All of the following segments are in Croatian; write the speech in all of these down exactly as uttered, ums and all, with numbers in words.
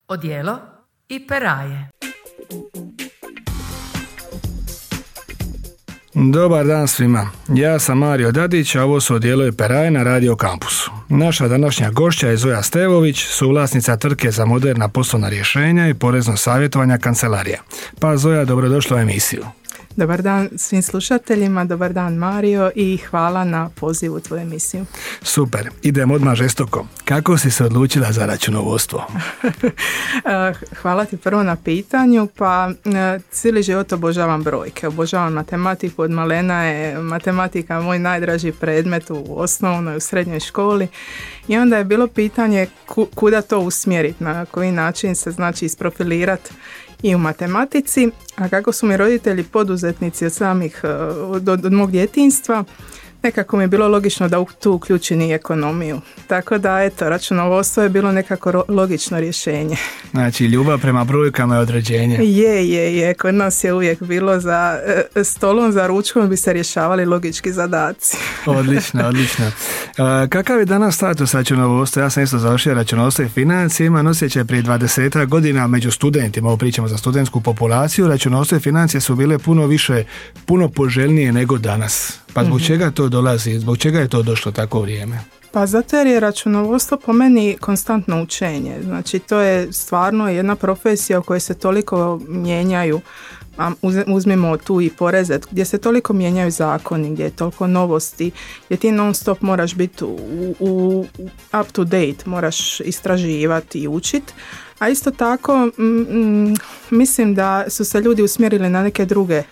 Odijelo i peraje. Dobar dan svima. Ja sam Mario Dadić, a ovo su Odijelo i peraje na Radio Kampusu. Naša današnja gošća je Zoja Stevović, suvlasnica tvrtke za moderna poslovna rješenja i porezno savjetovanja Kancelarija. Pa Zoja, dobrodošla u emisiju. Dobar dan svim slušateljima, dobar dan Mario i hvala na pozivu u tvoju emisiju. Super, idemo odmah žestoko. Kako si se odlučila za računovodstvo? Hvala ti prvo na pitanju, pa cijeli život obožavam brojke, obožavam matematiku, od malena je matematika moj najdraži predmet u osnovnoj, u srednjoj školi i onda je bilo pitanje kuda to usmjeriti, na koji način se znači isprofilirati i u matematici, a kako su mi roditelji poduzetnici od samih, od, od mog djetinjstva, nekako mi je bilo logično da tu uključim i ekonomiju. Tako da, eto, računovodstvo je bilo nekako logično rješenje. Znači, ljubav prema brojkama je određenje. Je, je, je. Kod nas je uvijek bilo za stolom, za ručkom bi se rješavali logički zadaci. Odlično, odlično. Uh, kakav je danas status računovodstva? Ja sam isto završio računovodstvo i financije, imam osjećaj prije dvadeset godina među studentima, ovo pričamo za studentsku populaciju, računovodstvo i financije su bile puno više, puno poželjnije nego danas. Pa zbog mm-hmm. čega to dolazi? Zbog čega je to došlo tako vrijeme? Pa zato jer je računovodstvo po meni konstantno učenje. Znači to je stvarno jedna profesija u kojoj se toliko mijenjaju, a uzmimo tu i poreze, gdje se toliko mijenjaju zakoni, gdje je toliko novosti, gdje ti non stop moraš biti u, u, up to date, moraš istraživati i učiti. A isto tako m, mislim da su se ljudi usmjerili na neke druge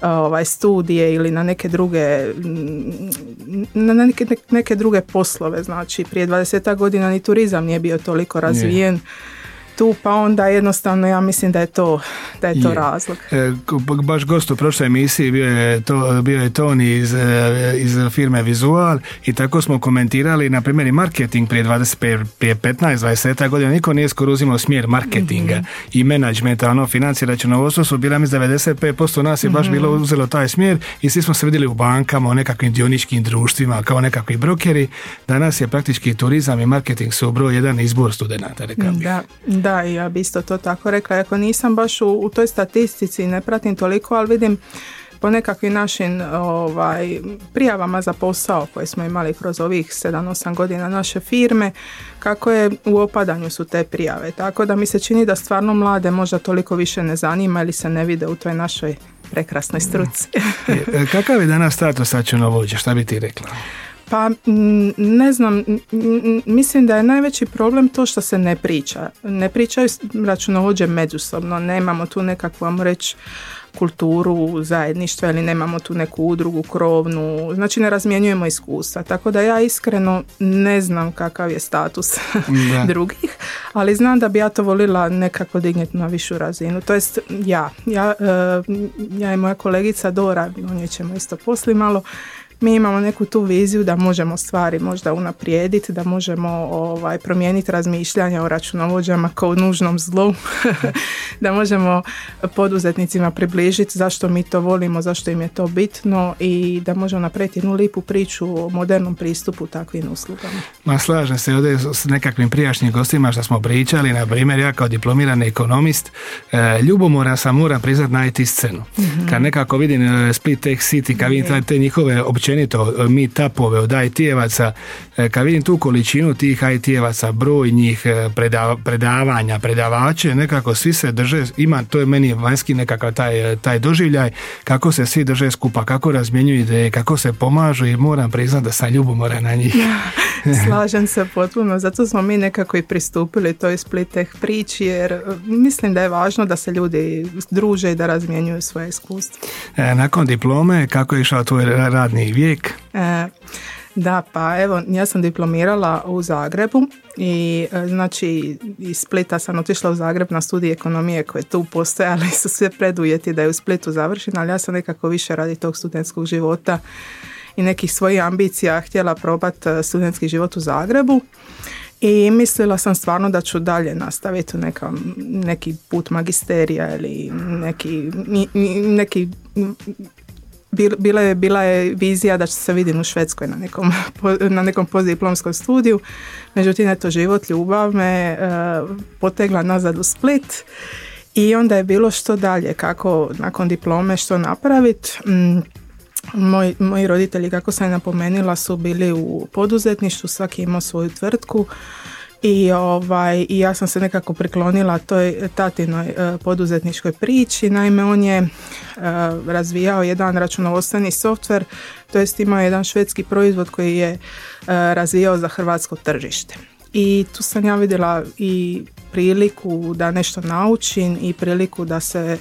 ovaj studije ili na neke druge na neke, neke druge poslove. Znači prije dvadeset godina ni turizam nije bio toliko razvijen. Je. Tu pa onda jednostavno ja mislim da je to da je to je. razlog. E, baš gost u prošloj emisiji bio je, to, bio je Toni iz, iz firme Vizual i tako smo komentirali na primjer i marketing prije, dvadeset, prije petnaest dvadeset godina niko nije skoro uzimao smjer marketinga mm-hmm. i menadžmenta, ono, financije, računovodstvo su bila mi devedeset pet posto nas je baš mm-hmm. bilo uzelo taj smjer i svi smo se vidjeli u bankama, u nekakvim dioničkim društvima kao nekakvi brokeri. Danas je praktički turizam i marketing su broj jedan izbor studenata, rekao bih. Da. Da, ja bi isto to tako rekla. Ako nisam baš u, u toj statistici, ne pratim toliko, ali vidim po nekakvim našim ovaj, prijavama za posao koje smo imali kroz ovih sedam osam godina naše firme, kako je u opadanju su te prijave. Tako da mi se čini da stvarno mlade možda toliko više ne zanima ili se ne vide u toj našoj prekrasnoj struci. Kakav je danas status računovođe? Šta bi ti rekla? Pa ne znam, mislim da je najveći problem to što se ne priča. Ne pričaju računovođe međusobno, nemamo tu nekakvu, vam reći, kulturu zajedništva ili nemamo tu neku udrugu krovnu, znači ne razmjenjujemo iskustva, tako da ja iskreno ne znam kakav je status drugih, ali znam da bi ja to volila nekako digniti na višu razinu, to jest ja, ja, ja i moja kolegica Dora, o njoj ćemo isto poslije malo, mi imamo neku tu viziju da možemo stvari možda unaprijediti, da možemo ovaj, promijeniti razmišljanja o računovođama kao nužnom zlu, da možemo poduzetnicima približiti zašto mi to volimo, zašto im je to bitno i da možemo napraviti jednu lipu priču o modernom pristupu takvim uslugama. Ma slažem se ovdje s nekakvim prijašnjim gostima što smo pričali, na primjer ja kao diplomirani ekonomist e, ljubomoran sam, moram priznat, na I T scenu. Mm-hmm. Kad nekako vidim Split Tech City, kad vidim te njihove općenito meetupove od I T-evaca, kad vidim tu količinu tih I T-evaca, broj njih, predav, predavanja, predavače, nekako svi se drže, ima, to je meni vanjski nekakav taj, taj doživljaj, kako se svi drže skupa, kako razmjenjuju ideje, kako se pomažu i moram priznat da sam ljubomoran na njih. Slažem se potpuno, zato smo mi nekako i pristupili toj Split Tech priči, jer mislim da je važno da se ljudi druže i da razmjenjuju svoje iskustvo. E, nakon diplome, kako je išao tvoj radni vijek? E, da, pa evo, ja sam diplomirala u Zagrebu i znači iz Splita sam otišla u Zagreb na studij ekonomije koje tu postoje, ali su sve preduvjeti da je u Splitu završena, ali ja sam nekako više radi tog studentskog života i nekih svojih ambicija htjela probati studentski život u Zagrebu i mislila sam stvarno da ću dalje nastaviti neka, neki put magisterija ili neki, neki bila je, bila je vizija da će se vidim u Švedskoj na nekom, na nekom postdiplomskom studiju. Međutim, eto, život, ljubav me uh, potegla nazad u Split i onda je bilo što dalje, kako nakon diplome što napraviti. Mm, moj, moji roditelji, kako sam napomenula, su bili u poduzetništvu, svaki imao svoju tvrtku. I, ovaj, I ja sam se nekako priklonila toj tatinoj e, poduzetničkoj priči. Naime, on je e, razvijao jedan računovodstveni softver, to jest imao jedan švedski proizvod koji je e, razvijao za hrvatsko tržište. I tu sam ja vidjela i priliku da nešto naučim i priliku da se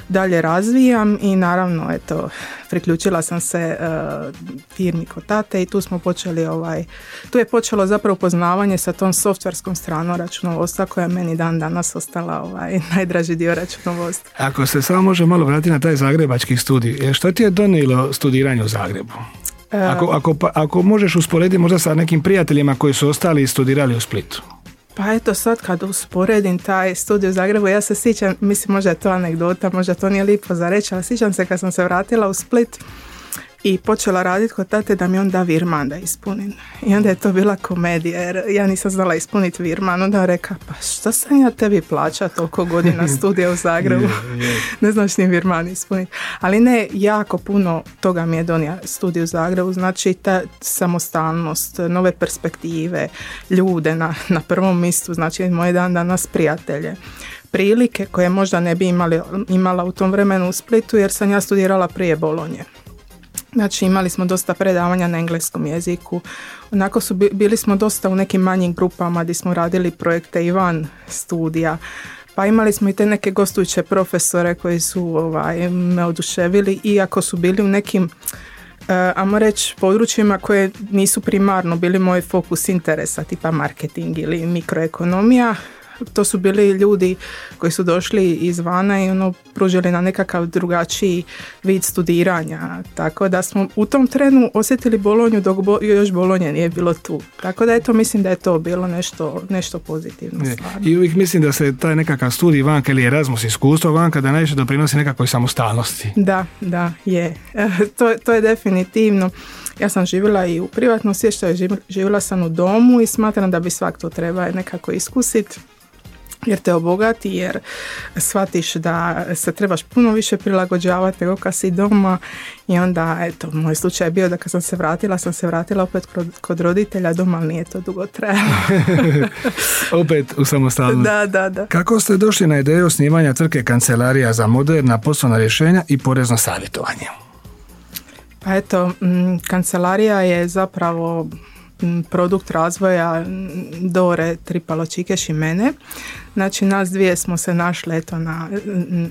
dalje razvijam i naravno, eto, priključila sam se uh, firmi kod tate i tu smo počeli, ovaj, tu je počelo zapravo poznavanje sa tom softverskom stranom računovodstva koja je meni dan danas ostala ovaj, najdraži dio računovodstva. Ako se samo može malo vratiti na taj zagrebački studij, što ti je donijelo studiranje u Zagrebu? Ako, ako, ako možeš usporediti možda sa nekim prijateljima koji su ostali i studirali u Splitu. Pa eto, sad kad usporedim taj studij u Zagrebu, ja se sjećam, mislim možda je to anegdota, možda to nije lipo za reći, ali sjećam se kad sam se vratila u Split i počela raditi kod tate da mi on da virman da ispunim. I onda je to bila komedija jer ja nisam znala ispuniti virman. Onda on reka, pa što sam ja tebi plaća toliko godina studija u Zagrebu? yeah, yeah. Ne znaš ni virman ispuniti. Ali ne, jako puno toga mi je donio studij u Zagrebu. Znači ta samostalnost, nove perspektive, ljude na, na prvom mjestu, znači moje dan danas prijatelje. Prilike koje možda ne bi imali, imala u tom vremenu u Splitu jer sam ja studirala prije Bolonje. Znači imali smo dosta predavanja na engleskom jeziku, onako su bili smo dosta u nekim manjim grupama gdje smo radili projekte i van studija, pa imali smo i te neke gostujuće profesore koji su ovaj, me oduševili iako su bili u nekim uh, ajmo reći područjima koje nisu primarno bili moj fokus interesa, tipa marketing ili mikroekonomija. To su bili ljudi koji su došli izvana i ono pružili na nekakav drugačiji vid studiranja. Tako da smo u tom trenu osjetili Bolonju dok bo, još Bolonje nije bilo tu. Tako da eto, mislim da je to bilo nešto, nešto pozitivno. I uvijek mislim da se taj nekakav studij vanka ili Erasmus iskustvo vanka da najviše doprinosi nekakvoj samostalnosti. Da, da, je. to, to je definitivno. Ja sam živjela i u privatnom smještaju, živjela sam u domu i smatram da bi svak to treba nekako iskusiti. Jer te obogati, jer shvatiš da se trebaš puno više prilagođavati nego kad si doma i onda, eto, moj slučaj je bio da kad sam se vratila, sam se vratila opet kod, kod roditelja doma, ali nije to dugo trajalo. Opet u samostalnost. Da, da, da. Kako ste došli na ideju osnivanja tvrtke Kancelarija za moderna poslovna rješenja i porezno savjetovanje? Pa eto, m, Kancelarija je zapravo produkt razvoja Dore Tripalo-Čikeš i mene. Znači nas dvije smo se našle eto, na,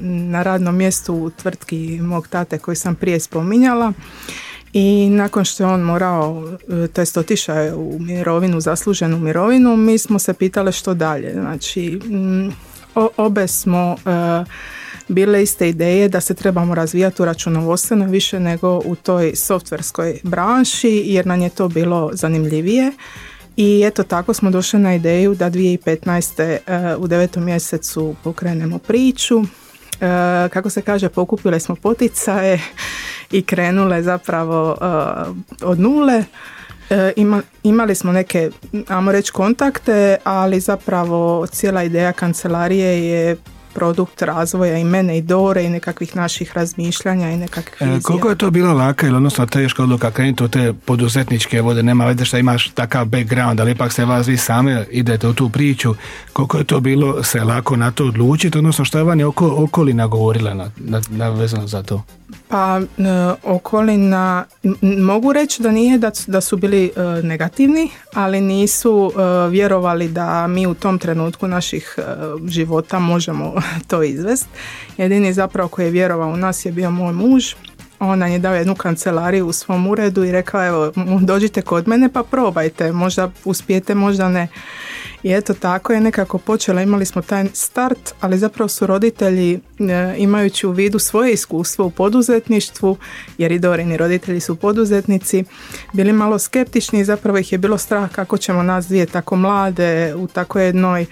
na radnom mjestu u tvrtki mog tate koji sam prije spominjala i nakon što je on morao, to jest otišao je u mirovinu, zasluženu mirovinu, mi smo se pitali što dalje. Znači o, obe smo uh, bile iste ideje da se trebamo razvijati u računovodstvenoj više nego u toj softverskoj branši jer nam je to bilo zanimljivije i eto tako smo došli na ideju da dvije tisuće petnaeste. Uh, u devetom mjesecu pokrenemo priču. Uh, kako se kaže, pokupile smo poticaje i krenule zapravo uh, od nule. E, ima, imali smo neke, ajmo reći, kontakte, ali zapravo cijela ideja kancelarije je produkt razvoja i mene i Dore i nekakvih naših razmišljanja i nekakvih vizija. E, koliko je to bila laka ili odnosno teška odluka krenuti u te poduzetničke vode? Nema veze što imaš takav background, ali ipak ste vas vi same idete u tu priču. Koliko je to bilo se lako na to odlučiti, odnosno što je vam je oko, okolina govorila na, na, na vezano za to? Pa e, okolina, m- mogu reći da nije da, da su bili e, negativni, ali nisu e, vjerovali da mi u tom trenutku naših e, života možemo to izvesti. Jedini zapravo koji je vjerovao u nas je bio moj muž. On nam je dao jednu kancelariju u svom uredu i rekao evo dođite kod mene pa probajte, možda uspijete, možda ne. I eto tako je nekako počela, imali smo taj start, ali zapravo su roditelji e, imajući u vidu svoje iskustvo u poduzetništvu, jer i Dorini roditelji su poduzetnici, bili malo skeptični i zapravo ih je bilo strah kako ćemo nas dvije tako mlade u tako jednoj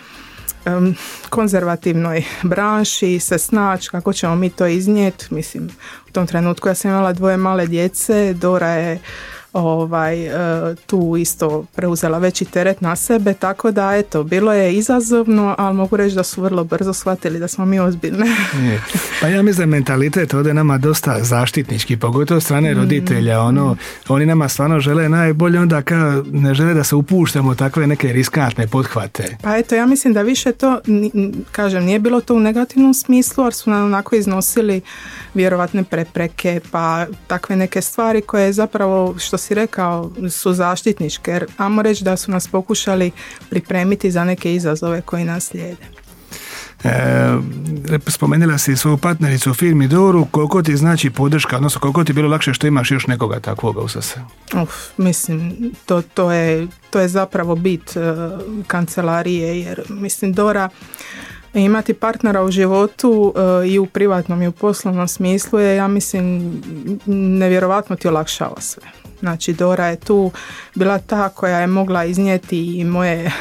um, konzervativnoj branši se snaći, kako ćemo mi to iznijeti. Mislim, u tom trenutku ja sam imala dvoje male djece, Dora je ovaj, tu isto preuzela veći teret na sebe, tako da eto, bilo je izazovno, ali mogu reći da su vrlo brzo shvatili da smo mi ozbiljne. Pa ja mislim da mentalitet ovdje nama dosta zaštitnički, pogotovo strane roditelja, ono, oni nama stvarno žele najbolje, onda kao ne žele da se upuštamo u takve neke riskantne pothvate. Pa eto, ja mislim da više to, kažem, nije bilo to u negativnom smislu, ali su nam onako iznosili vjerovatne prepreke, pa takve neke stvari koje zapravo, što si rekao, su zaštitničke, jer ajmo reći da su nas pokušali pripremiti za neke izazove koji nas slijede. E, spomenula si svoju partnericu u firmi Doru, koliko ti znači podrška, odnosno koliko ti bilo lakše što imaš još nekoga takvoga u sase? Uf, mislim, to, to, je, to je zapravo bit uh, kancelarije, jer mislim Dora, imati partnera u životu uh, i u privatnom i u poslovnom smislu je, ja mislim, nevjerovatno ti olakšava sve. Znači Dora je tu bila ta koja je mogla iznijeti i moje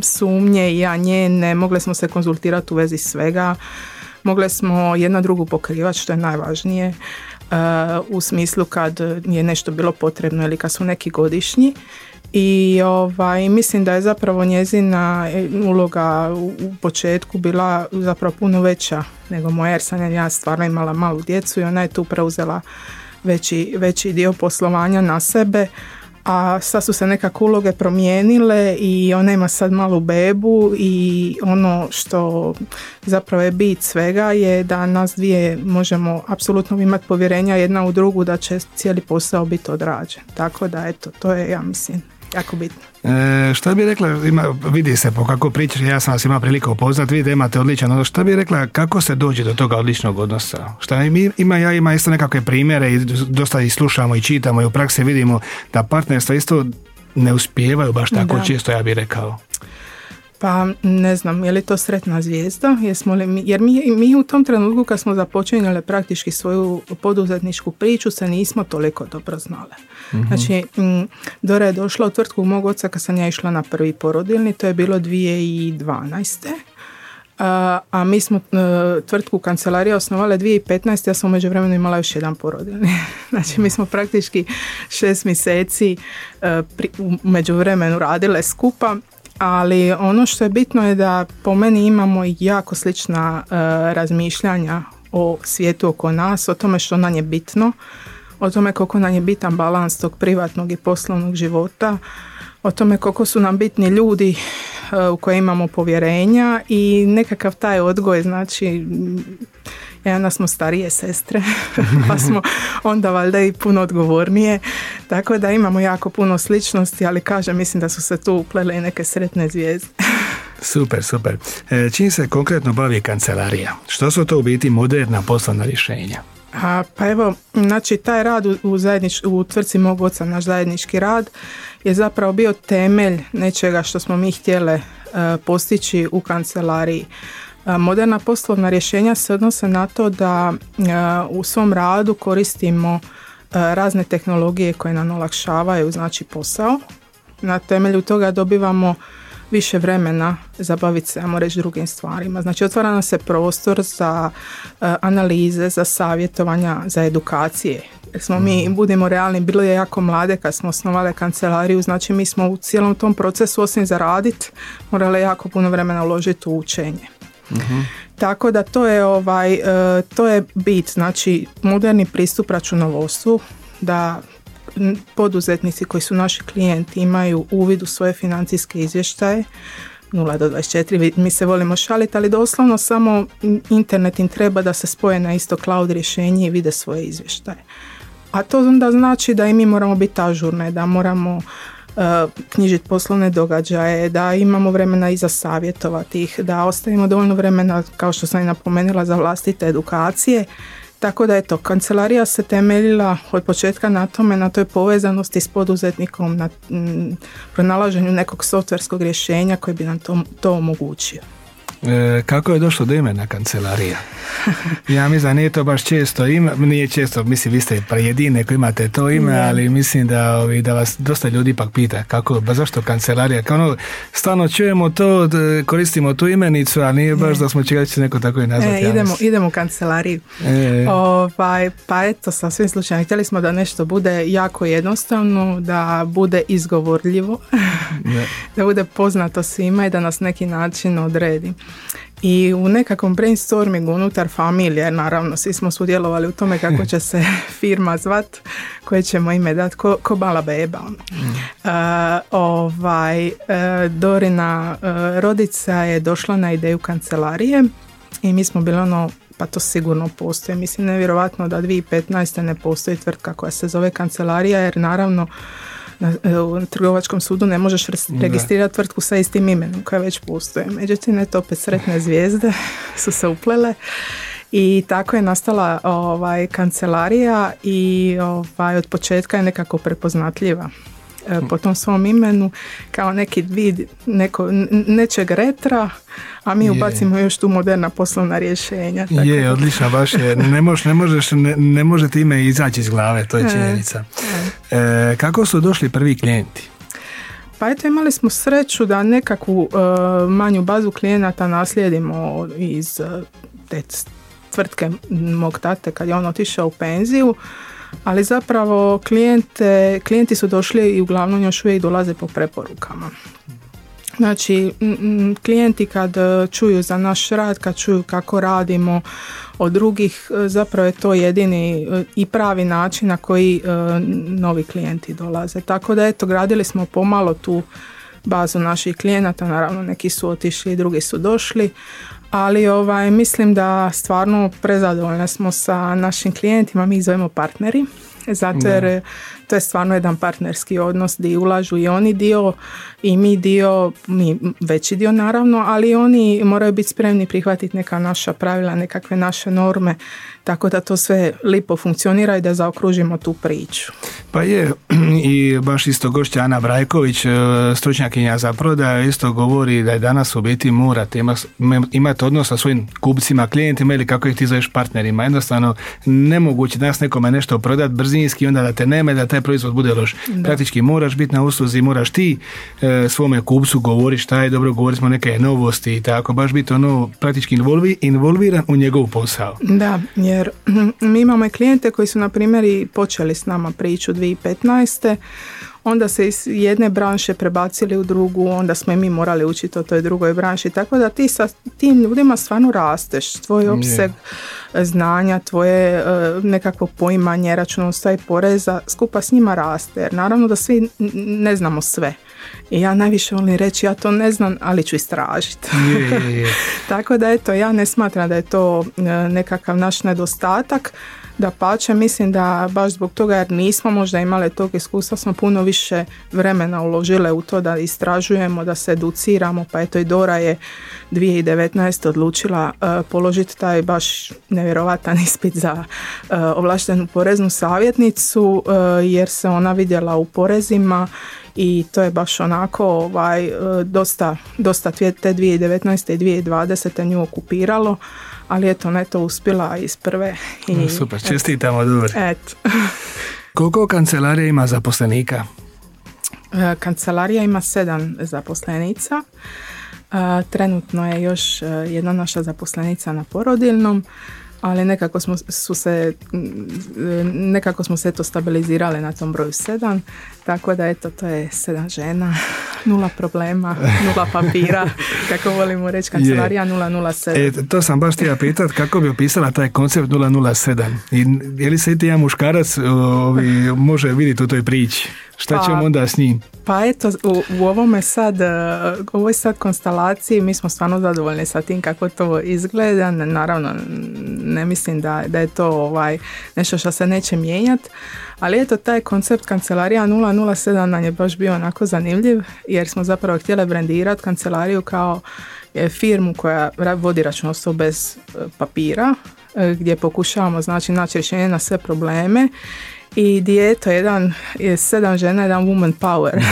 sumnje i ja njene, mogle smo se konzultirati u vezi svega, mogle smo jedna drugu pokrivati, što je najvažnije, uh, u smislu kad je nešto bilo potrebno ili kad su neki godišnji. I ovaj, mislim da je zapravo njezina uloga u, u početku bila zapravo puno veća nego moja, jer sam ja stvarno imala malu djecu i ona je tu preuzela veći, veći dio poslovanja na sebe, a sad su se nekako uloge promijenile i ona ima sad malu bebu i ono što zapravo je bit svega je da nas dvije možemo apsolutno imati povjerenja jedna u drugu da će cijeli posao biti odrađen. Tako da eto, to je, ja mislim, jako bitno. E, šta bi rekla, ima, vidi se po kako pričaš, ja sam vas imao priliku upoznat, vidite imate odličan odnos, šta bi rekla kako se dođe do toga odličnog odnosa? Šta ima, ja ima isto nekakve primjere i dosta ih slušamo i čitamo i u praksi vidimo da partnerstva isto ne uspijevaju baš tako da. Često, ja bih rekao. Pa ne znam, je li to sretna zvijezda? Jesmo li mi, jer mi, mi u tom trenutku kad smo započinjali praktički svoju poduzetničku priču se nismo toliko dobro znale. Mm-hmm. Znači, m, Dora je došla u tvrtku mog oca kad sam ja išla na prvi porodilni, to je bilo dvije tisuće dvanaeste. A, a mi smo uh, tvrtku kancelarija osnovale dvije tisuće petnaeste. Ja sam u međuvremenu imala još jedan porodilni. Znači mi smo praktički šest mjeseci uh, pri, u međuvremenu radile skupa. Ali ono što je bitno je da po meni imamo jako slična uh, razmišljanja o svijetu oko nas, o tome što nam je bitno, o tome koliko nam je bitan balans tog privatnog i poslovnog života, o tome koliko su nam bitni ljudi uh, u koje imamo povjerenja i nekakav taj odgoj, znači jedna smo starije sestre pa smo onda valjda i puno odgovornije, tako da imamo jako puno sličnosti, ali kažem, mislim da su se tu uplele i neke sretne zvijezde. Super, super. E, čim se konkretno bavi kancelarija? Što su to u biti moderna poslovna rješenja? A, pa evo, znači taj rad u, u, zajednič, u tvrtci mog oca, naš zajednički rad, je zapravo bio temelj nečega što smo mi htjele uh, postići u kancelariji. Moderna poslovna rješenja se odnose na to da u svom radu koristimo razne tehnologije koje nam olakšavaju, znači posao. Na temelju toga dobivamo više vremena za baviti se, ajmo reći, drugim stvarima. Znači otvara nam se prostor za analize, za savjetovanja, za edukacije. Jer smo mi, budimo realni, bilo je jako mlade kad smo osnovali kancelariju, znači mi smo u cijelom tom procesu osim za radit morali jako puno vremena uložiti u učenje. Uh-huh. Tako da to je ovaj uh, to je bit, znači moderni pristup računovodstvu, da poduzetnici koji su naši klijenti imaju uvid u svoje financijske izvještaje nula do dvadeset četiri, mi se volimo šaliti, ali doslovno samo internet im treba da se spoje na isto cloud rješenje i vide svoje izvještaje. A to onda znači da i mi moramo biti ažurne, da moramo knjižiti poslovne događaje, da imamo vremena i za savjetovati ih, da ostavimo dovoljno vremena, kao što sam i napomenula, za vlastite edukacije. Tako da eto, kancelarija se temeljila od početka na tome, na toj povezanosti s poduzetnikom, na m, pronalaženju nekog softverskog rješenja koji bi nam to, to omogućio. E, kako je došlo do imena kancelarija? Ja mislim da nije to baš često ime, nije često, mislim vi ste jedini koji imate to ime, yeah. ali mislim da, ovi, da vas dosta ljudi ipak pita kako, ba zašto kancelarija? Kao ono, stalno čujemo to, koristimo tu imenicu, a nije baš yeah. da smo čekali da će neko tako i nazvati. E, idemo, idemo u kancelariju. E. Ovaj, pa eto, sa svim slučajima, htjeli smo da nešto bude jako jednostavno, da bude izgovorljivo, yeah. da bude poznato svima i da nas neki način odredi. I u nekakvom brainstormingu unutar familije, naravno, svi smo sudjelovali u tome kako će se firma zvat, koje ćemo ime dati, ko, ko mala beba. Mm. Uh, ovaj, uh, Dorina uh, rodica je došla na ideju kancelarije i mi smo bili ono, pa to sigurno postoji. Mislim, nevjerovatno da dvije tisuće petnaeste. ne postoji tvrtka koja se zove kancelarija, jer naravno Na, u trgovačkom sudu ne možeš registrirati tvrtku sa istim imenom koja već postoje. Međutim, eto, opet sretne zvijezde su se uplele i tako je nastala ovaj, kancelarija i ovaj, od početka je nekako prepoznatljiva e, po tom svom imenu kao neki vid neko, nečeg retra, a mi je. ubacimo još tu moderna poslovna rješenja. Tako je, odlično, baš je. Ne, mož, ne, možeš, ne, ne možete ime izaći iz glave, to je činjenica. E, e, kako su došli prvi klijenti? Pa eto, imali smo sreću da nekakvu uh, manju bazu klijenata naslijedimo iz uh, te tvrtke mog tate kad je on otišao u penziju, ali zapravo klijente, klijenti su došli i uglavnom još uvijek dolaze po preporukama. Znači, klijenti kad čuju za naš rad, kad čuju kako radimo od drugih, zapravo je to jedini i pravi način na koji novi klijenti dolaze. Tako da eto, gradili smo pomalo tu bazu naših klijenata, naravno neki su otišli, drugi su došli, ali ovaj, mislim da stvarno prezadovoljni smo sa našim klijentima, mi ih zovemo partneri, zato jer da. To je stvarno jedan partnerski odnos gdje ulažu i oni dio i mi dio, mi veći dio naravno, ali oni moraju biti spremni prihvatiti neka naša pravila, nekakve naše norme, tako da to sve lipo funkcionira i da zaokružimo tu priču. Pa je, i baš isto gošća Ana Brajković, stručnjakinja za prodaju, isto govori da je danas u biti morate imati odnos sa svojim kupcima, klijentima ili kako ih ti zoveš partnerima. Jednostavno nemoguće danas nekome nešto prodati brzinski, onda da te nema, da taj proizvod bude loš. Da. Praktički moraš biti na usluzi, moraš ti e, svome kupcu govori šta je dobro, govorili smo neke novosti i tako, baš biti ono praktički involvi, involviran u njegov posao. Da, jer mi imamo i klijente koji su na primjer i počeli s nama priču dvije tisuće petnaeste. Onda se iz jedne branše prebacili u drugu, onda smo i mi morali učiti o toj drugoj branši, tako da ti sa tim ljudima stvarno rasteš, tvoj opseg yeah. znanja, tvoje uh, nekakvo poimanje računovodstva i poreza skupa s njima raste, jer naravno da svi ne znamo sve. I ja najviše volim reći, ja to ne znam, ali ću istražiti. Yeah, yeah, yeah. Tako da eto, ja ne smatram da je to uh, nekakav naš nedostatak. Dapače, mislim da baš zbog toga jer nismo možda imali tog iskustva, smo puno više vremena uložile u to da istražujemo, da se educiramo, pa eto i Dora je dvije tisuće devetnaeste. odlučila uh, položiti taj baš nevjerovatan ispit za uh, ovlaštenu poreznu savjetnicu uh, jer se ona vidjela u porezima i to je baš onako ovaj, dosta, dosta te dvije tisuće devetnaeste. i dvije tisuće dvadesete. nju okupiralo, ali eto, ona je to uspjela iz prve. I, no, super, čestitamo, dobro. Eto. Koliko kancelarija ima zaposlenika? Kancelarija ima sedam zaposlenica. Trenutno je još jedna naša zaposlenica na porodiljnom, ali nekako smo su se nekako smo se to stabilizirali na tom broju sedam, tako da eto, to je sedam žena, nula problema, nula papira, kako volimo reći, kancelarija nula nula sedam. E, to sam baš htio pitati, kako bi opisala taj koncept nula nula sedam? I je li se i ti jedan muškarac ovi, može vidjeti u toj priči? Šta ćemo pa, onda s njim? Pa eto, u, u ovome sad, u ovoj sad konstelaciji mi smo stvarno zadovoljni sa tim kako to izgleda. Naravno, ne mislim da, da je to ovaj, nešto što se neće mijenjati, ali eto, taj koncept kancelarija nula nula sedam nam je baš bio onako zanimljiv, jer smo zapravo htjeli brendirati kancelariju kao firmu koja vodi računovodstvo bez papira, gdje pokušavamo znači naći rješenje na sve probleme i dijete, jedan je sedam žena, jedan woman power.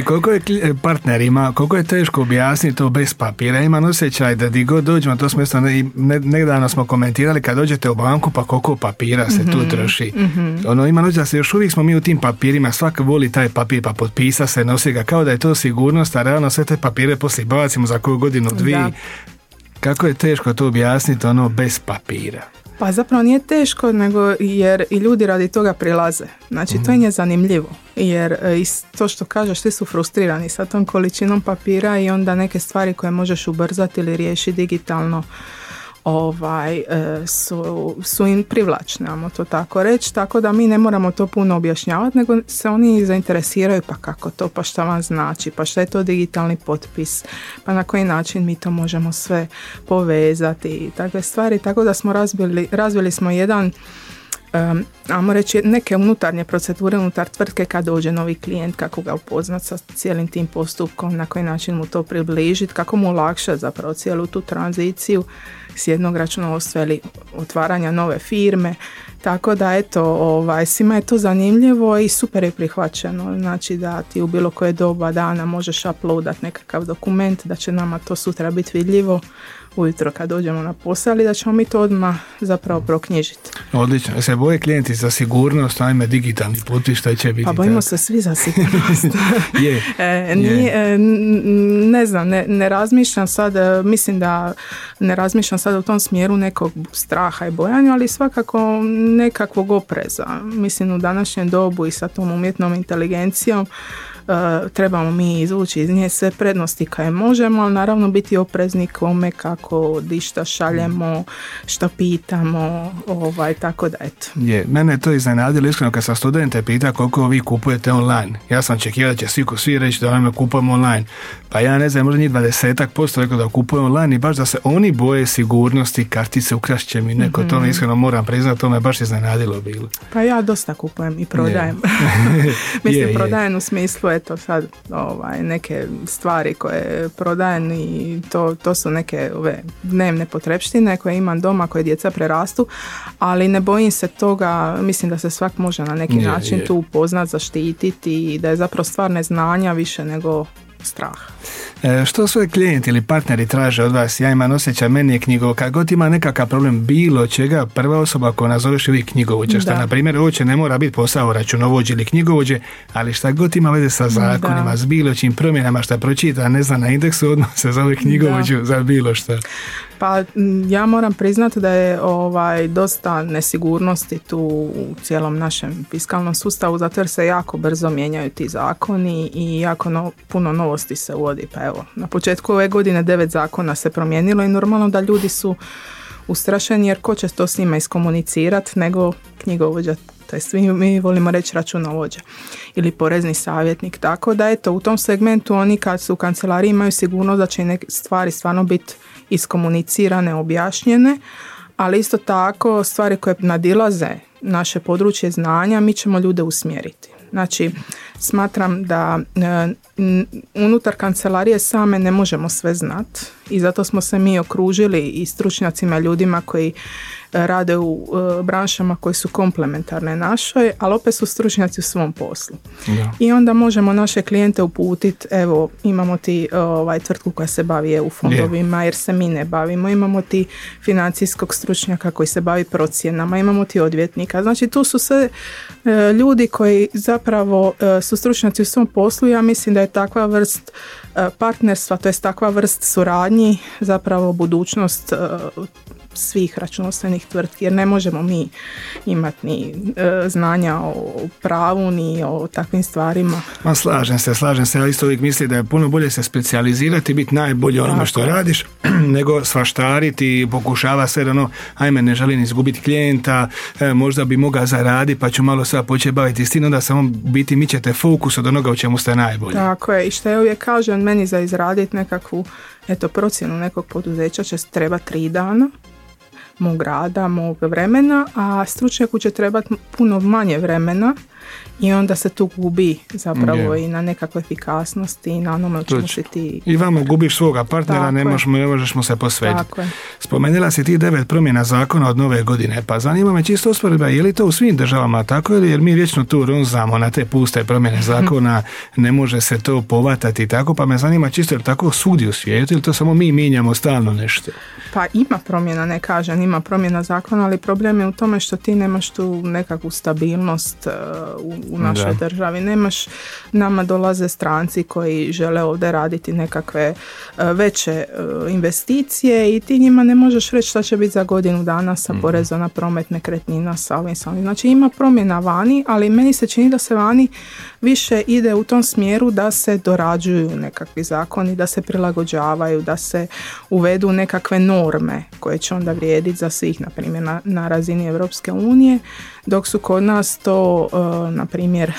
Koliko je partnerima, koliko je teško objasniti to bez papira. Imam osjećaj da di god dođemo, to smo isto ne, ne, nedavno smo komentirali, kad dođete u banku, pa koliko papira se mm-hmm. tu troši. Mm-hmm. Ono, imam osjećaj da se još uvijek smo mi u tim papirima, svak voli taj papir, pa potpisa se, nosi ga, kao da je to sigurnost, a realno sve te papire poslije bacimo za koju godinu, dvije. Da. Kako je teško to objasniti, ono, bez papira. Pa zapravo nije teško, nego jer i ljudi radi toga prilaze. Znači mm. to je zanimljivo, jer to što kažeš, svi su frustrirani sa tom količinom papira i onda neke stvari koje možeš ubrzati ili riješiti digitalno ovaj, su, su im privlačne, ajmo to tako reći, tako da mi ne moramo to puno objašnjavati, nego se oni zainteresiraju, pa kako to, pa šta vam znači, pa šta je to digitalni potpis, pa na koji način mi to možemo sve povezati i takve stvari, tako da smo razvili, razvili smo jedan Um, ajmo reći neke unutarnje procedure unutar tvrtke kad dođe novi klijent, kako ga upoznati sa cijelim tim postupkom, na koji način mu to približiti, kako mu olakšati zapravo cijelu tu tranziciju s jednog računovodstva ili otvaranja nove firme, tako da eto, ovaj, svima je to zanimljivo i super je prihvaćeno, znači da ti u bilo koje doba dana možeš uploadat nekakav dokument, da će nama to sutra biti vidljivo ujutro kad dođemo na posao, ali da ćemo mi to odmah zapravo proknjižiti. Odlično. Se boje klijenti za sigurnost, ajme digitalni potpis, šta će biti? Pa bojimo se svi za sigurnost. je, e, nije, je. Ne znam, ne, ne razmišljam sad, mislim da ne razmišljam sad u tom smjeru nekog straha i bojanja, ali svakako nekakvog opreza. Mislim u današnjem dobu i sa tom umjetnom inteligencijom Uh, trebamo mi izvući iz nje sve prednosti koje možemo, ali naravno biti oprezni kome, kako, di šta šaljemo, što pitamo, ovaj, tako da eto. Je, mene je to iznenadilo iskreno kad sam studente pita koliko vi kupujete online. Ja sam očekivao da će svi ko svi reći da nam kupujemo online. Pa ja ne znam, možda njih dvadesetak posto rekao da kupujemo online i baš da se oni boje sigurnosti, kartice ukrašće mi neko, mm-hmm. to me iskreno moram priznati, to me baš iznenadilo bilo. Pa ja dosta kupujem i prodajem. Mislim, je, prodajem je. U smislu eto sad ovaj, neke stvari koje prodajem i to, to su neke ove dnevne potrepštine koje imam doma, koje djeca prerastu, ali ne bojim se toga, mislim da se svak može na neki je, način je. tu upoznat, zaštititi i da je zapravo stvar neznanja više nego strah. E, što sve klijenti ili partneri traže od vas? Ja imam osjećaj, meni je knjigo, kad god ima nekakav problem bilo čega, prva osoba koja nazoveš je uvijek knjigovođa, što na primjer uopće ne mora biti posao računovođe ili knjigovođe, ali šta god ima veze sa zakonima, da. s bilo čim promjenama šta pročita, ne zna na indeksu, odmah se zove knjigovođu da. za bilo šta. Pa ja moram priznati da je ovaj dosta nesigurnosti tu u cijelom našem fiskalnom sustavu, zato jer se jako brzo mijenjaju ti zakoni i jako no, puno novosti se uvodi. Pa evo, na početku ove godine devet zakona se promijenilo i normalno da ljudi su ustrašeni jer ko će to s njima iskomunicirati nego knjigovođa, to jest mi, mi volimo reći računovođa ili porezni savjetnik, tako da eto u tom segmentu oni kad su u kancelariji imaju sigurnost da će neke stvari stvarno biti iskomunicirane, objašnjene, ali isto tako stvari koje nadilaze naše područje znanja mi ćemo ljude usmjeriti. Znači, smatram da e, unutar kancelarije same ne možemo sve znati i zato smo se mi okružili i stručnjacima, ljudima koji rade u e, branšama koje su komplementarne našoj, ali opet su stručnjaci u svom poslu. Da. I onda možemo naše klijente uputiti, evo imamo ti ovaj, tvrtku koja se bavi E U fondovima yeah. jer se mi ne bavimo, imamo ti financijskog stručnjaka koji se bavi procjenama, imamo ti odvjetnika, znači tu su sve e, ljudi koji zapravo e, su stručnjaci u svom poslu. Ja mislim da je takva vrst e, partnerstva, to je takva vrst suradnji zapravo budućnost e, svih računovodstvenih tvrtki, jer ne možemo mi imati ni e, znanja o pravu ni o takvim stvarima. Ma slažem se, slažem se, ja isto uvijek mislim da je puno bolje se specijalizirati i biti najbolji onome što radiš, nego svaštariti i pokušava sve ono, ajme ne želim izgubiti klijenta, e, možda bi mogao zaraditi pa ću malo sad početi baviti s tim, onda samo biti mičete fokus od onoga u čemu ste najbolji. Tako je, i što ja uvijek kažem, meni za izraditi nekakvu eto, procjenu nekog poduzeća će treba tri dana mog rada, mog vremena, a stručnjaku će trebati puno manje vremena i onda se tu gubi zapravo yeah. i na nekakvoj efikasnosti i na onome čemu si ti... I vamo gubiš svoga partnera, ne možeš, ne možeš mu se posvetiti. Spomenula si ti devet promjena zakona od nove godine, pa zanima me čisto usporedba, je li to u svim državama tako ili jer mi vječno tu ronzamo na te puste promjene zakona, ne može se to povatati tako, pa me zanima čisto je li tako svugdje u svijetu ili to samo mi mijenjamo stalno nešto? Pa ima promjena, ne kažem, ima promjena zakona, ali problem je u tome što ti nemaš tu nekakvu stabilnost uh, u, u našoj da. državi. Nemaš, nama dolaze stranci koji žele ovdje raditi nekakve uh, veće uh, investicije i ti njima ne možeš reći šta će biti za godinu dana sa mm. porezom na promet nekretnina, sa ovim, sa ovim. Znači ima promjena vani, ali meni se čini da se vani više ide u tom smjeru da se dorađuju nekakvi zakoni, da se prilagođavaju, da se uvedu nekakve norme koje će onda vrijediti za svih, na primjer na, na razini Europske unije, dok su kod nas to, uh, na primjer,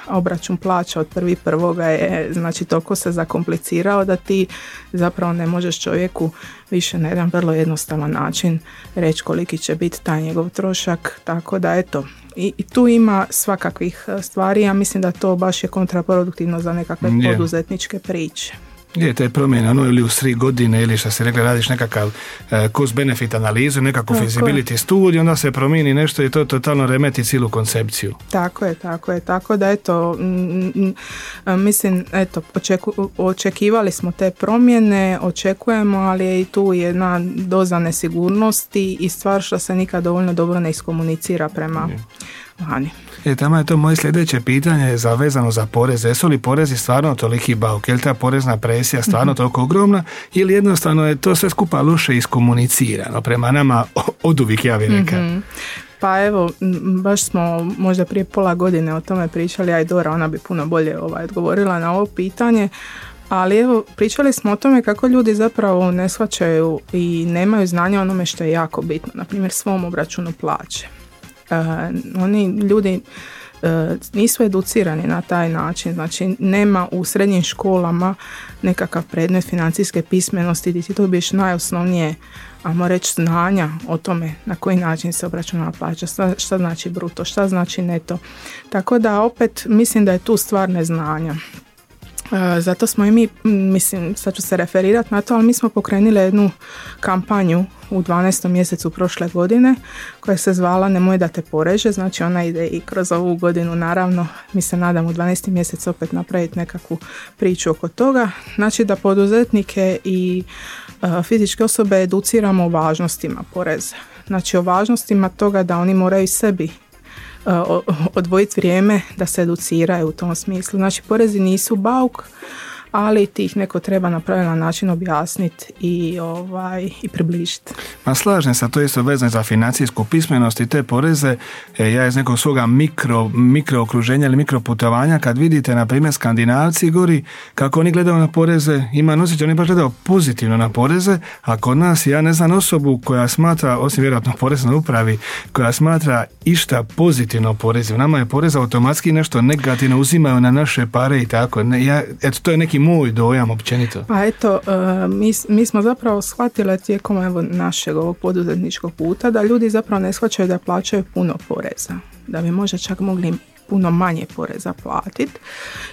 obračun plaća od prvi prvoga je, znači toliko se zakomplicirao da ti zapravo ne možeš čovjeku više na jedan vrlo jednostavan način reći koliki će biti taj njegov trošak, tako da eto, i, i tu ima svakakvih stvari, ja mislim da to baš je kontraproduktivno za nekakve yeah. poduzetničke priče. Je, te promjene, ono ili u tri godine ili što si rekla, radiš nekakav uh, cost-benefit analizu, nekakvu tako feasibility je. studiju, onda se promijeni nešto i to totalno remeti cijelu koncepciju. Tako je, tako je, tako da eto, m, m, mislim, eto, očeku, očekivali smo te promjene, očekujemo, ali je i tu jedna doza nesigurnosti i stvar što se nikad dovoljno dobro ne iskomunicira prema je. vani. E, tamo je to moje sljedeće pitanje zavezano za poreze. Jesu li porezi stvarno toliki bauk? Je li ta porezna presija stvarno toliko ogromna ili jednostavno je to sve skupa loše iskomunicirano prema nama od uvijek, ja bih rekao? Mm-hmm. Pa evo, baš smo možda prije pola godine o tome pričali, a i Dora, ona bi puno bolje ovaj, odgovorila na ovo pitanje. Ali evo, pričali smo o tome kako ljudi zapravo ne shvaćaju i nemaju znanja o onome što je jako bitno. Na primjer, svom obračunu plaće. Uh, oni ljudi uh, nisu educirani na taj način, znači nema u srednjim školama nekakav predmet financijske pismenosti gdje ti dobiješ najosnovnije, ajmo reći, znanja o tome na koji način se obračunava plaća, šta, šta znači bruto, šta znači neto. Tako da opet mislim da je tu stvar neznanja. Uh, zato smo i mi, mislim, sad ću se referirati na to, ali mi smo pokrenuli jednu kampanju u dvanaestom mjesecu prošle godine koja se zvala Nemoj da te poreže, znači ona ide i kroz ovu godinu, naravno mi se nadamo u dvanaestom mjesecu opet napraviti nekakvu priču oko toga, znači da poduzetnike i uh, fizičke osobe educiramo o važnostima poreza, znači o važnostima toga da oni moraju sebi uh, odvojiti vrijeme da se educiraju u tom smislu, znači porezi nisu bauk, ali ti ih neko treba na pravilan način objasniti i, ovaj, i približiti. Ma slažem se, to je isto vezano za financijsku pismenost i te poreze. E, ja iz nekog svoga mikro, mikro okruženja ili mikro putovanja, kad vidite, na primjer, Skandinavci gori, kako oni gledaju na poreze, ima osjećaj, oni baš gledaju pozitivno na poreze, a kod nas, ja ne znam osobu koja smatra, osim vjerojatno poreznoj upravi, koja smatra išta pozitivno porezima. Nama je porez automatski nešto negativno, uzimaju na naše pare i tako. Ne, ja, eto, to je neki moj dojam općenito. Pa eto, uh, mi, mi smo zapravo shvatili tijekom evo, našeg ovog poduzetničkog puta da ljudi zapravo ne shvaćaju da plaćaju puno poreza. Da bi možda čak mogli puno manje poreza platiti.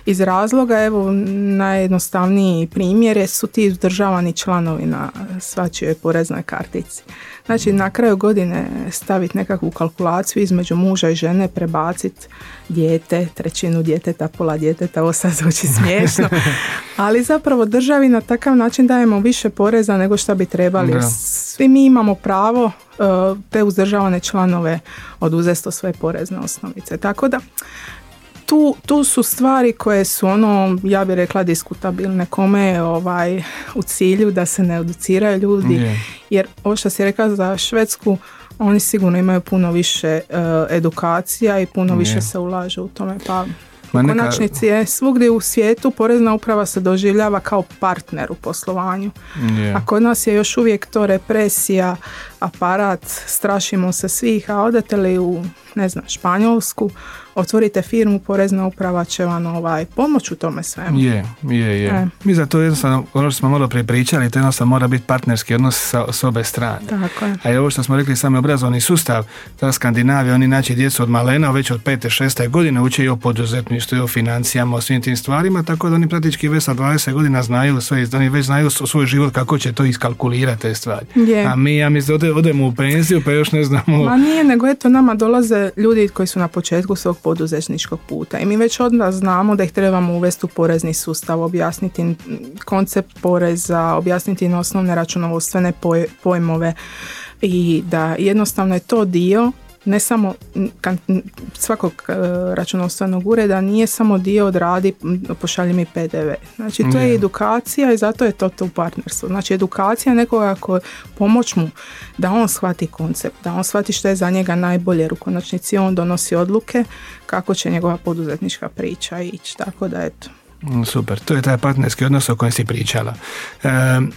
Iz razloga, evo, najjednostavniji primjer su ti uzdržavani članovi na svačijoj poreznoj kartici. Znači, na kraju godine staviti nekakvu kalkulaciju između muža i žene, prebaciti dijete, trećinu djeteta, pola djeteta, ovo sad zvuči smiješno, ali zapravo državi na takav način dajemo više poreza nego što bi trebali. Da. Svi mi imamo pravo uh, te uzdržavane članove oduzeti od svoje porezne osnovice. Tako da Tu, tu su stvari koje su ono, ja bih rekla, diskutabilne, kome je ovaj, u cilju da se ne educiraju ljudi, yeah. jer ovo što si rekla za Švedsku, oni sigurno imaju puno više uh, edukacija i puno yeah. više se ulaže u tome, pa u konačnici je svugdje u svijetu porezna uprava se doživljava kao partner u poslovanju, yeah. a kod nas je još uvijek to represija, aparat, strašimo se svih, a odete li u, ne znam, Španjolsku, otvorite firmu, porezna uprava će vam ovaj, pomoć u tome svemu. Je, je, je. E. Mi za to jednostavno, ono što smo malo prije pričali, to jednostavno mora biti partnerski odnos sa, s obe strane. Tako je. A i ovo što smo rekli, sami obrazovni sustav, ta Skandinavija, oni naći djecu od malena, već od pete, šeste godine uče i o poduzetništvu, i o financijama, o svim tim stvarima, tako da oni praktički već sa dvadeset godina znaju sve, oni već znaju svoj život kako će to iskalkulirati te stvari. Je. A mi, ja mislim, ode, odemo u penziju, pa još ne znamo... Ma nije, nego eto, nama dolaze ljudi koji su na početku svog poduzetničkog puta i mi već odmah znamo da ih trebamo uvesti u porezni sustav, objasniti koncept poreza, objasniti na osnovne računovodstvene pojmove i da jednostavno je to dio ne samo svakog računovodstvenog ureda, nije samo dio odradi, pošalji mi P D V. Znači to je edukacija i zato je to to partnerstvo. Znači edukacija nekoga ko pomoć mu da on shvati koncept, da on shvati što je za njega najbolje, jer u konačnici on donosi odluke kako će njegova poduzetnička priča ići. Tako da eto. Super, to je taj partnerski odnos o kojem si pričala. E,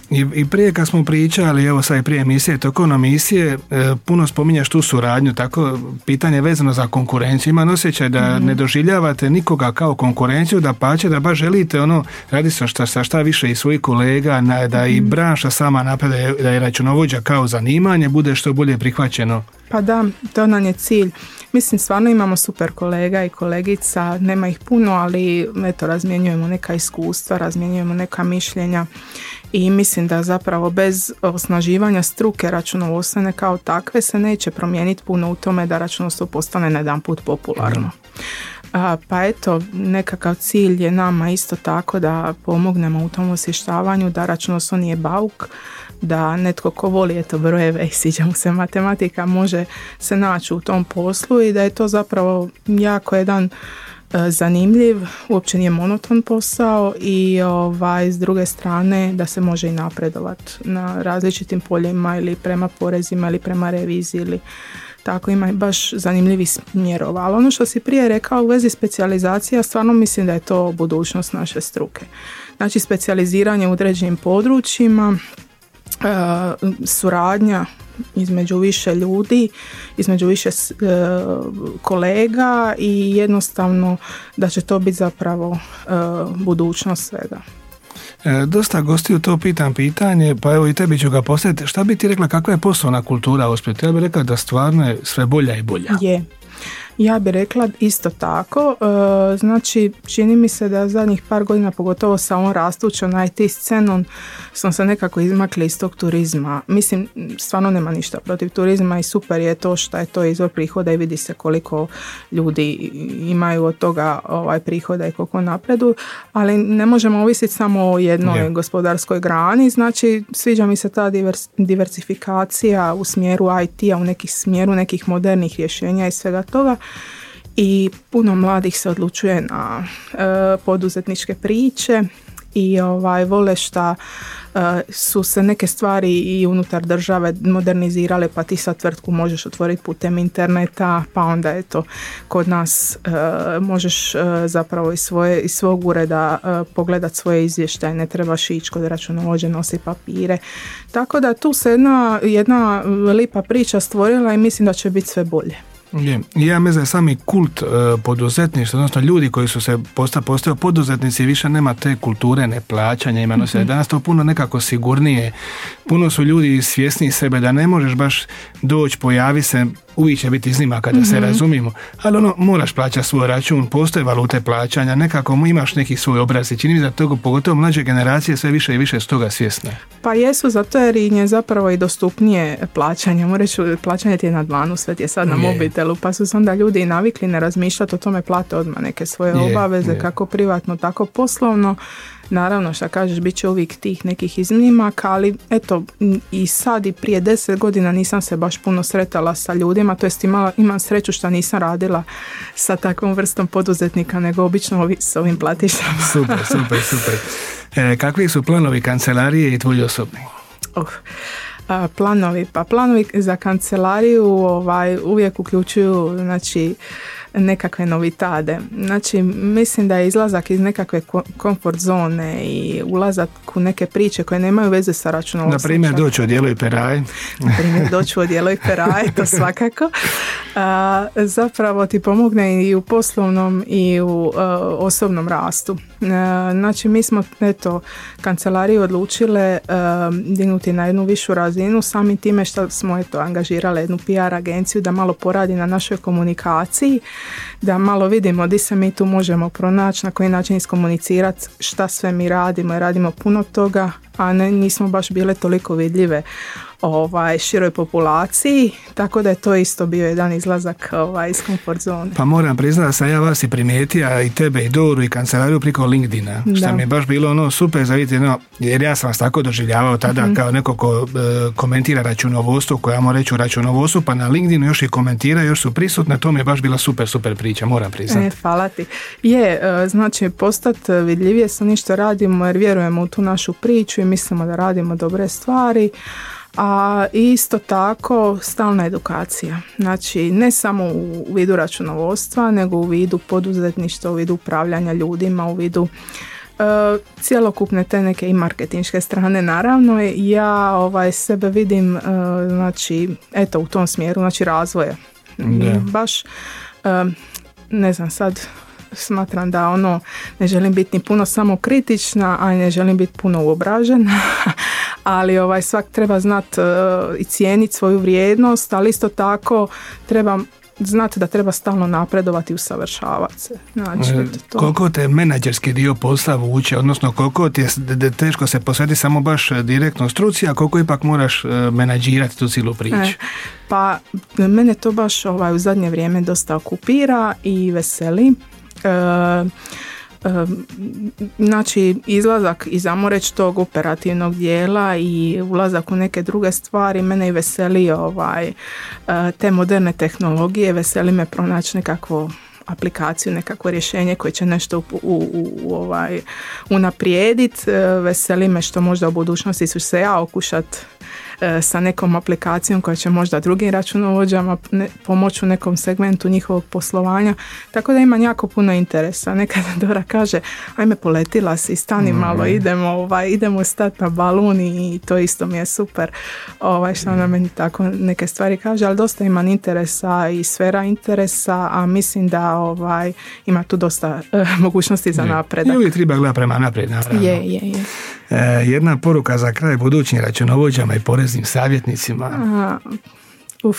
i, i prije kad smo pričali, evo sad i prije emisije, tokom emisije, e, puno spominjaš tu suradnju, tako pitanje vezano za konkurenciju. Imam osjećaj da mm-hmm. ne doživljavate nikoga kao konkurenciju, da pače, da baš želite ono, radi se šta, šta, šta više i svojih kolega, na, da mm-hmm. i branša sama napred, da je računovođa kao zanimanje, bude što bolje prihvaćeno. Pa da, to nam je cilj. Mislim, stvarno imamo super kolega i kolegica, nema ih puno, ali eto, razmjenjujemo neka iskustva, razmjenjujemo neka mišljenja i mislim da zapravo bez osnaživanja struke računovodstvene kao takve se neće promijeniti puno u tome da računovodstvo postane na jedan put popularno. A, pa eto, nekakav cilj je nama isto tako da pomognemo u tom osvještavanju da računovodstvo nije bauk, da netko ko voli eto brojeve i sviđa mu se matematika može se naći u tom poslu i da je to zapravo jako jedan e, zanimljiv, uopće nije monoton posao i ovaj, s druge strane da se može i napredovati na različitim poljima ili prema porezima ili prema reviziji ili tako, ima baš zanimljivih smjerova. Ali ono što si prije rekao u vezi specijalizacija, stvarno mislim da je to budućnost naše struke. Znači specijaliziranje u određenim područjima, Uh, suradnja između više ljudi, između više uh, kolega i jednostavno da će to biti zapravo uh, budućnost svega. E, dosta gostiju to pitam pitanje, pa evo i tebi ću ga postaviti. Šta bi ti rekla, kakva je poslovna kultura u Splitu? Ja bih rekla da stvarno je sve bolja i bolja. Je. Ja bih rekla isto tako, e, znači čini mi se da zadnjih par godina, pogotovo sa ovom rastućom I T scenom, smo se nekako izmakli iz tog turizma. Mislim, stvarno nema ništa protiv turizma i super je to što je to izvor prihoda i vidi se koliko ljudi imaju od toga ovaj prihoda i koliko napredu, ali ne možemo ovisiti samo o jednoj yeah. gospodarskoj grani, znači sviđa mi se ta divers, diversifikacija u smjeru I T-a, u nekih smjeru nekih modernih rješenja i svega toga. I puno mladih se odlučuje na e, poduzetničke priče i ovaj, vole šta e, su se neke stvari i unutar države modernizirale, pa ti sad tvrtku možeš otvoriti putem interneta, pa onda eto kod nas e, možeš e, zapravo iz, svoje, iz svog ureda e, pogledati svoje izvještaje, ne trebaš ići kod računovođe, nosi papire. Tako da tu se jedna, jedna lipa priča stvorila i mislim da će biti sve bolje. Je. Ja mislim da je sami kult e, poduzetništva, odnosno ljudi koji su se posta, postao poduzetnici, više nema te kulture neplaćanja, ima mm-hmm. danas to puno nekako sigurnije, puno su ljudi svjesni sebe da ne možeš baš doći, pojavi se, uvijek će biti iznimaka kada mm-hmm. se razumijemo, ali ono, moraš plaćati svoj račun, postoje valute plaćanja, nekako imaš neki svoj obraz i čini mi da toga, pogotovo mlađe generacije sve više i više s toga svjesne. Pa jesu, zato jer je zapravo i dostupnije plaćanje, moram reći, plaćanje ti je na dlanu, sve ti je sad na je. mobitelu, pa su se onda ljudi i navikli ne razmišljati o tome, plate odmah neke svoje je, obaveze, je. kako privatno, tako poslovno. Naravno, šta kažeš, bit će uvijek tih nekih iznimaka, ali eto, i sad i prije deset godina nisam se baš puno sretala sa ljudima, to jest imala, imam sreću što nisam radila sa takvom vrstom poduzetnika, nego obično ovi, s ovim platišama. Super, super, super. E, kakvi su planovi kancelarije i tvoji osobni? Uh, a, planovi, pa planovi za kancelariju ovaj, uvijek uključuju, znači, nekakve novitade. Znači, mislim da je izlazak iz nekakve komfort zone i ulazak u neke priče koje nemaju veze sa računovodstvom. Na primjer, doći u odijelo i peraj. Na primjer, doći u odijelo i peraj, to svakako. A, zapravo ti pomogne i u poslovnom i u a, osobnom rastu. A, znači, mi smo, eto, kancelariju odlučile a, dignuti na jednu višu razinu samim time što smo, eto, angažirali jednu P R agenciju da malo poradi na našoj komunikaciji, da malo vidimo di se mi tu možemo pronaći, na koji način iskomunicirati šta sve mi radimo i radimo puno toga, a ne, nismo baš bile toliko vidljive ovaj, široj populaciji, tako da je to isto bio jedan izlazak ovaj, iz komfort zone. Pa moram priznati da sam ja vas i primijetio, i tebe i Doru i kancelariju preko LinkedIna, što da. mi je baš bilo ono super za vidjeti, no, jer ja sam vas tako doživljavao tada mm-hmm. kao neko ko e, komentira računovodstvo, koja ja moram reći u računovodstvu, pa na LinkedInu još i komentira, još su prisutne, to mi je baš bila super, super priča, moram priznati. E, hvala ti. Je, e, znači postati vidljivije sa ništa radimo jer vjerujemo u tu našu priču i mislimo da radimo dobre stvari. A isto tako stalna edukacija. Znači ne samo u vidu računovodstva, nego u vidu poduzetništva, u vidu upravljanja ljudima, u vidu uh, cjelokupne te neke i marketinške strane. Naravno ja ovaj, sebe vidim uh, znači, eto, u tom smjeru, znači razvoja. Da. Baš uh, ne znam sad smatram da ono ne želim biti ni puno samo kritična, a ne želim biti puno uobražena, ali ovaj svak treba znati uh, i cijeniti svoju vrijednost, ali isto tako treba znati da treba stalno napredovati i usavršavati se. Znači, e, to. Koliko te menadžerski dio posla vuče, odnosno koliko ti je teško se posveti samo baš direktno struci, a koliko ipak moraš menadžirati tu cijelu priču? E, pa mene to baš ovaj, u zadnje vrijeme dosta okupira i veseli. E, e, znači izlazak iz ajmo reći tog operativnog dijela i ulazak u neke druge stvari mene i veseli ovaj, te moderne tehnologije, veseli me pronaći nekakvo aplikaciju, nekakvo rješenje koje će nešto u, u, u, ovaj, unaprijediti. Veseli me što možda u budućnosti ću se ja okušat sa nekom aplikacijom koja će možda drugim računovođama ne, pomoći u nekom segmentu njihovog poslovanja. Tako da imam jako puno interesa. Nekada Dora kaže, ajme poletila si, stani mm. malo, idemo, ovaj, idemo stati na balun i to isto mi je super. Ovaj, što ona meni tako neke stvari kaže, ali dosta imam interesa i sfera interesa, a mislim da ovaj, ima tu dosta uh, mogućnosti za napredak. I uvijek treba gledati prema naprijed, naravno. Je, je, je. E, jedna poruka za kraj budućim računovođama i poreznim savjetnicima. Aha, uf,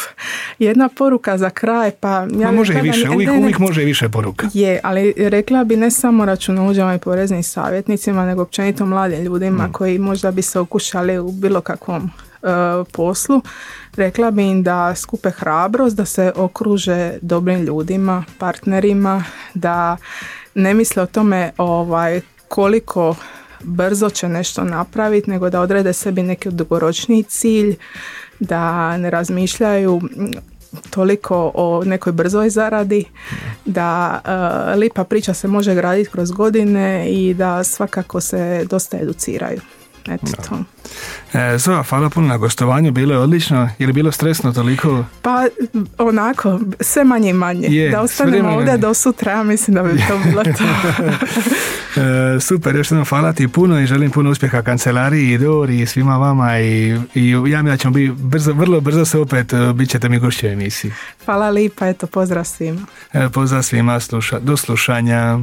jedna poruka za kraj, pa ja Ma može i više, ne, uvijek, ne, ne, uvijek može i više poruka. Je, ali rekla bi ne samo računovođama i poreznim savjetnicima, nego općenito mladim ljudima mm. koji možda bi se okušali u bilo kakvom uh, poslu. Rekla bi im da skupe hrabrost, da se okruže dobrim ljudima, partnerima, da ne misle o tome ovaj, koliko brzo će nešto napraviti, nego da odrede sebi neki dugoročni cilj, da ne razmišljaju toliko o nekoj brzoj zaradi, da uh, lipa priča se može graditi kroz godine i da svakako se dosta educiraju. Eto no. to. E, Zoja, hvala puno na gostovanju, bilo je odlično. Je li bilo stresno toliko? Pa onako, sve manje i manje. Je, da ostanemo ovdje do sutra, ja mislim da bi to bilo to. e, super, još jednom hvala ti puno i želim puno uspjeha kancelariji i Dori i svima vama i, i ja mi da ćemo biti brzo, vrlo brzo se opet, bit ćete mi gošće u emisiji. Hvala lipa, eto pozdrav svima. E, pozdrav svima, sluša, do slušanja.